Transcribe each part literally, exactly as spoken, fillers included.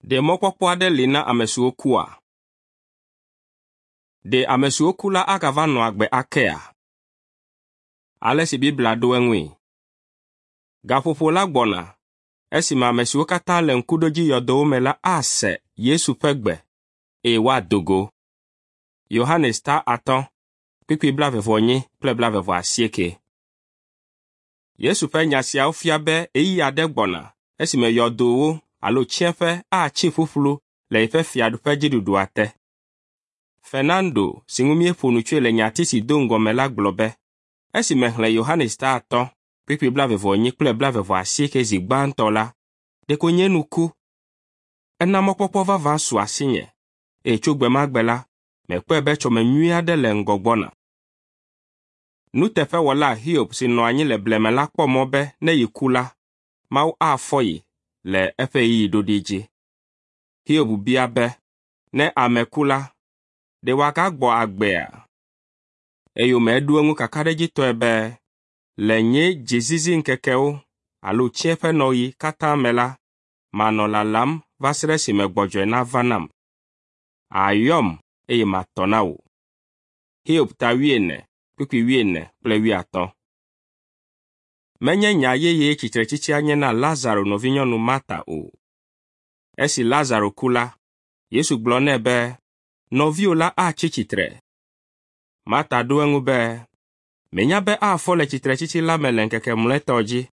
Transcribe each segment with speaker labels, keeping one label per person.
Speaker 1: Ɖe mɔkpɔkpɔ aɖe li na ame siwo kua? Ɖe ame siwo ku la agava nɔ agbe akea? Ale si Biblia ɖo eŋui. Gaƒoƒo la gbɔna esime ame siwo katã le ŋkuɖodziyɔdowo me la ase Yesu ƒe gbe eye woado go. Yohanes ta atɔ̃, kpukpui blaeve-vɔ-enyi kple blaeve-vɔ-asieke. Yesu ƒe nya siawo fia be ɣeyiɣi aɖe gbɔna esime yɔdowo alo tsiẽƒe atsi ƒuƒlu le yeƒe fiaɖuƒe dziɖuɖua te. Fernando, si ŋu míeƒo nu tsoe le nyati si do ŋgɔ me la gblɔ be, esi mexlẽ Yohanes ta atɔ̃, kpukpui blaeve-vɔ-enyi kple blaeve-vɔ-asieke zi gbãtɔ la, ɖeko nye nu ku. Ena mɔkpɔkpɔ vavã su asinye eye tso gbe ma gbe la, mekpɔe be tsɔme nyui aɖe le ŋgɔ gbɔna. Nuteƒewɔla Hiob si nɔ anyi le blema la kpɔ mɔ be ne yeku la, Mawu afɔ ye le eƒe ɣeyiɣi ɖoɖi dzi. Hiob bia be, ne ame ku la, ɖe wòagagbɔ agbea? Eyome eɖo eŋu kakaɖedzitɔe be, le nye dziziziŋkekewo alo tsiẽƒenɔɣi katã me la, manɔ lalam va se ɖe esime gbɔdzɔe nava nam. Àyɔm eye matɔ na wò. Hiob ta wuiene, kpukpui wuiene kple wuiatɔ̃. Menye nya yeye tsitretsitsia nye na Lazaro nɔvinyɔnu Marta o. Esi Lazaro ku la, Yesu gblɔ nɛ be, nɔviwò la atsi tsitre. Marta ɖo eŋu be, menya be afɔ le tsitretsitsi la me le ŋkeke mlɔetɔ dzi.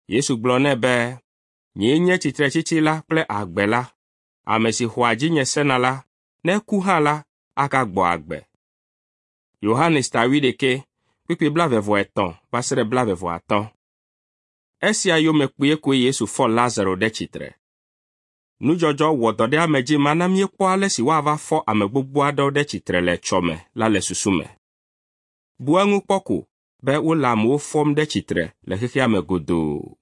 Speaker 1: Yesu gblɔ nɛ be, nyee nye tsitretsitsi la kple agbe la. Ame si xɔa dzinye sena la, ne eku hã la, agagbɔ agbe. Yohanes ta wuiɖekɛ, kpukpui blaeve-vɔ-etɔ̃ va se ɖe blaeve-vɔ-atɔ̃. Esia yome kpuie koe Yesu fɔ Lazaro ɖe tsitre. Nudzɔdzɔ wɔdɔɖeamedzi ma na míekpɔ ale si woava fɔ ame gbogbo aɖewo ɖe tsitre le etsɔme la le susu me. Bu eŋu kpɔ ko be wole amewo fɔm ɖe tsitre le xexea me godoo.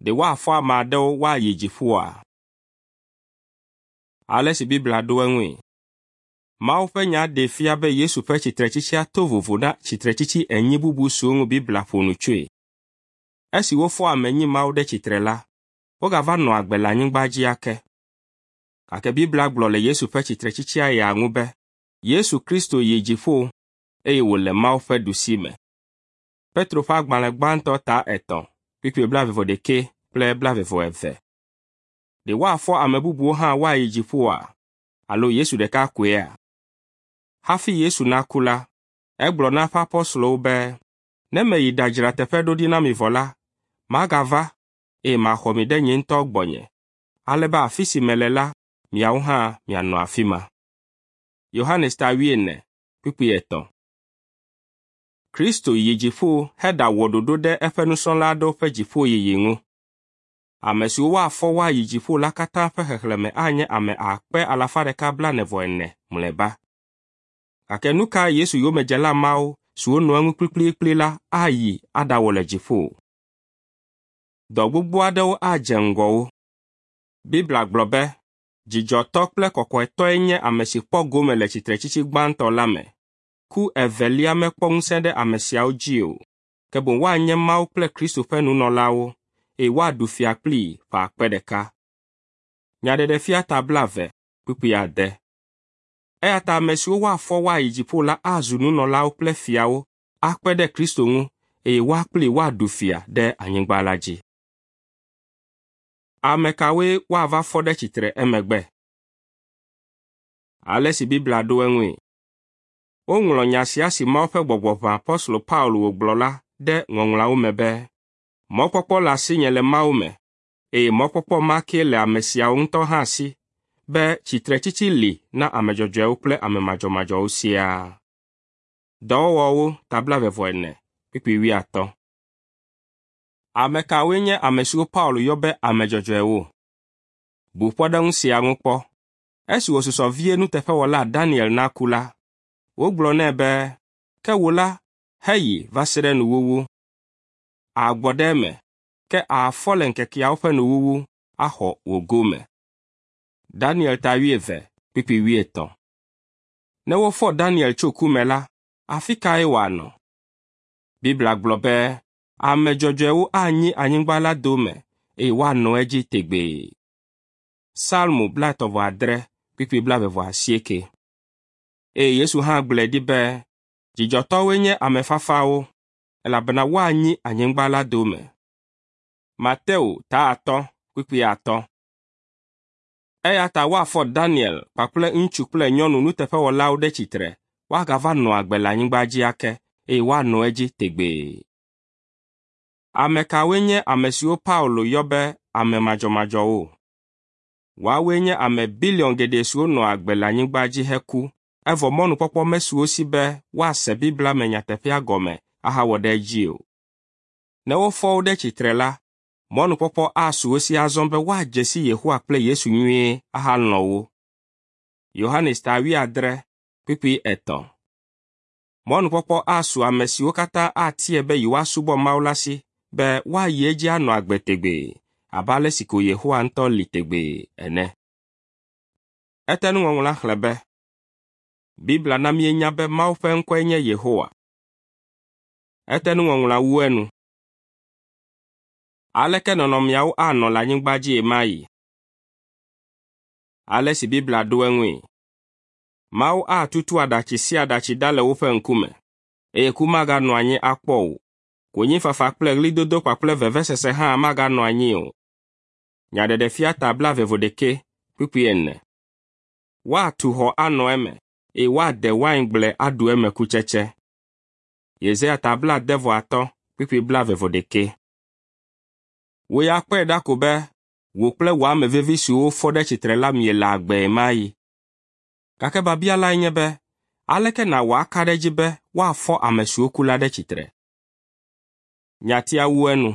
Speaker 1: Ɖe woafɔ ame aɖewo woayi dziƒoa? Ale si Biblia ɖo eŋui. Mawu ƒe nya ɖee fia be Yesu ƒe tsitretsitsia to vovo na tsitretsitsi enyi bubu siwo ŋu Biblia ƒo nu tsoe. Esi wofɔ ame enyi mawo ɖe tsitre la, wogava nɔ agbe le anyigba dzi ake. Gake Biblia gblɔ le Yesu ƒe tsitretsitsia ya ŋu be, Yesu Kristo yi dziƒo eye wòle Mawu ƒe ɖusime. Petro ƒe agbalẽ gbãtɔ ta etɔ̃, kpukpui blaeve-vɔ-ɖekɛ kple blaeve-vɔ-eve. Ɖe woafɔ ame bubuwo hã woayi dziƒoa? Alo Yesu ɖeka koea? Hafi Yesu naku la, egblɔ na eƒe apɔstolowo be, ne meyi ɖadzra teƒe ɖo ɖi na mi vɔ la, magava eye maxɔ mi ɖe nye ŋutɔ gbɔnye, ale be afi si mele la, miawo hã mianɔ afi ma. Yohanes ta wuiene, kpukpui etɔ̃. Kristo yi dziƒo heɖawɔ ɖoɖo ɖe eƒe nusrɔ̃la aɖewo ƒe dziƒoyiyi ŋu. Ame siwo woafɔ woayi dziƒo la katã ƒe xexlẽme anye ame akpe alafa ɖeka blaene-vɔ-ene mlɔeba. Gake nu kae Yesu yomedzela mawo siwo nɔ eŋu kplikplikpli la ayi aɖawɔ le dziƒo? Dɔ gbogbo aɖewo adze ŋgɔ wo. Biblia gblɔ be, dzidzɔtɔ kple kɔkɔetɔe nye ame si kpɔ gome le tsitretsitsi gbãtɔ la me. Ku evelia mekpɔ ŋusẽ ɖe ame siawo dzi o, ke boŋ woanye Mawu kple Kristo ƒe nunɔlawo eye woaɖu fia kplii ƒe akpe ɖeka. Nyaɖeɖefia ta blaeve, kpukpui ade. Eya ta ame siwo woafɔ woayi dziƒo la azu nunɔlawo kple fiawo akpe ɖe Kristo ŋu eye woa kplii woaɖu fia ɖe anyigba la dzi. Ame kawoe woava fɔ ɖe tsitre emegbe? Ale si Biblia ɖo eŋui. Woŋlɔ nya sia si Mawu ƒe gbɔgbɔ ʋã apɔstolo Paulo wògblɔ la ɖe Ŋɔŋlɔawo me be, mɔkpɔkpɔ le asinye le Mawu me, eye mɔkpɔkpɔ ma kee le ame siawo ŋutɔ hã si be tsitretsitsi li na ame dzɔdzɔewo kple ame madzɔmadzɔwo siaa. Dɔwɔwɔwo ta blaeve-vɔ-ene, kpukpui wuiatɔ̃. Ame kawoe nye ame siwo Paulo yɔ be ame dzɔdzɔewo? Bu kpɔɖeŋu sia ŋu kpɔ. Esi wòsusɔ vie nuteƒewɔla Daniel naku la, wogblɔ nɛ be, ke wò la, heyi va se ɖe nuwuwu. Àgbɔ ɖe eme, ke àfɔ le ŋkekeawo ƒe nuwuwu axɔ wò gome. Daniel ta wuieve, kpukpui wuietɔ̃. Ne wofɔ Daniel tso ku me la, afi kae wòanɔ? Biblia gblɔ be, ame dzɔdzɔewo anyi anyigba la dome eye woanɔ edzi tegbee. Salmo blaetɔ̃ vɔ adre kpukpui blaeve vɔ asieke. Eye Yesu hã gblɔe ɖi be dzidzɔtɔwoe nye ame fafawo elabena woanyi anyigba la dome. Mateo ta atɔ̃ kpukpui atɔ̃. Eya ta woafɔ Daniel kpakple ŋutsu kple nyɔnu nuteƒewɔlawo ɖe tsitre woagava nɔ agbe le anyigba dzi ake eye woanɔ edzi tegbee. Ame kawoe nye ame siwo Paulo yɔ be ame madzɔmadzɔwo? Woawoe nye ame biliɔn geɖe siwo nɔ agbe le anyigba dzi heku evɔ mɔnukpɔkpɔ mesu wo si be woase Biblia me nyateƒea gɔme ahawɔ ɖe edzi o. Ne wofɔ wo ɖe tsitre la, mɔnukpɔkpɔ asu wo si azɔ be woadze si Yehowa kple Yesu nyuie ahalɔ̃ wo. Yohanes ta wuiadre kpukpui etɔ̃. Mɔnukpɔkpɔ asu ame siwo katã atie be yewoasubɔ Mawu la si be woayi edzi anɔ agbe tegbee abe ale si ko Yehowa ŋutɔ li tegbee ene. Etenuŋɔŋlɔa xlẽ be Biblia na míenya be Mawu ƒe ŋkɔe nye Yehowa. Etenuŋɔŋlɔa wu enu. Aleke nɔnɔmeawo anɔ le anyigba dzi ɣemaɣi? Ale si Biblia ɖo eŋui. Mawu atutu aɖatsi sia aɖatsi ɖa le woƒe ŋkume, eye ku maganɔ anyi akpɔ o. Konyifafa kple ɣlidodo kpakple vevesese hã maganɔ anyi o. Nyaɖeɖefia ta blaeve vɔ ɖekɛ kpukpui ene. Woatu xɔ anɔ eme eye woade waingble aɖu eme kutsetse. Yesaya ta blaade vɔ atɔ̃ kpukpui blaeve vɔ ɖekɛ. Wò ya kpɔe ɖa ko be wò kple wò ame vevi siwo wofɔ ɖe tsitre la miele agbe ɣemaɣi. Gake biabia lae nye be, aleke nàwɔ aka ɖe edzi be woafɔ ame siwo ku la ɖe tsitre? Nyatia wu enu.